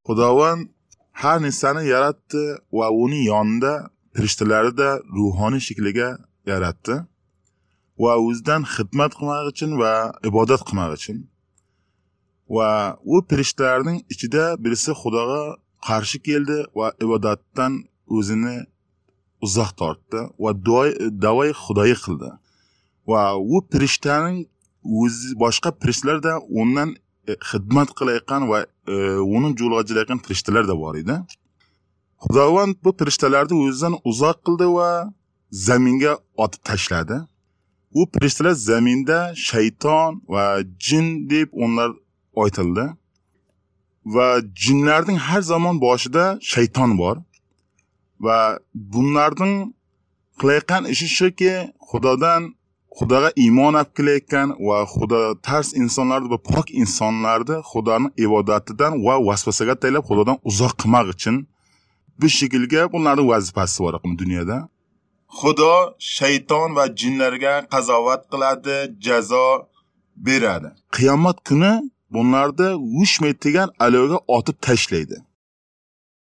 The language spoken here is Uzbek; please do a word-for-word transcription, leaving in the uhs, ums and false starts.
Xudovand har narsani yaratdi va uning yonida farishtalarni da ruhoniy shakliga yaratdi va o'zidan xizmat qilmoq uchun va ibodat qilmoq uchun. Va u farishtalarning ichida birisi Xudoga qarshi keldi va ibodatdan o'zini uzoq tortdi va da'voy xudoyi qildi. Va u farishtaning o'zi boshqa farishtalar da undan xizmat qilayotgan va uning yo'liga jilayotgan farishtalar da bor edi. Xudovand bu farishtalarni o'zidan uzoq qildi va zaminga otib tashladi. U farishtalar zaminda shayton va jin deb onlar aytildi. Va jinlarning har zamon boshida shayton bor. Va bunlarning qilayotgan ishi shuki, Xudodan Xudoga iymon olib kelayotgan va Xudo tars insonlarni va pok insonlarni Xudoning ibodatidan va vasvasaga taylab Xudodan uzoq qilmoq uchun bu shaklga bunlarning vazifasi bor dunyoda. Xudo shayton va jinlarga qazovat qiladi, jazo beradi. Qiyomat kuni bunlarni o'chmaydigan alovga otib tashlaydi.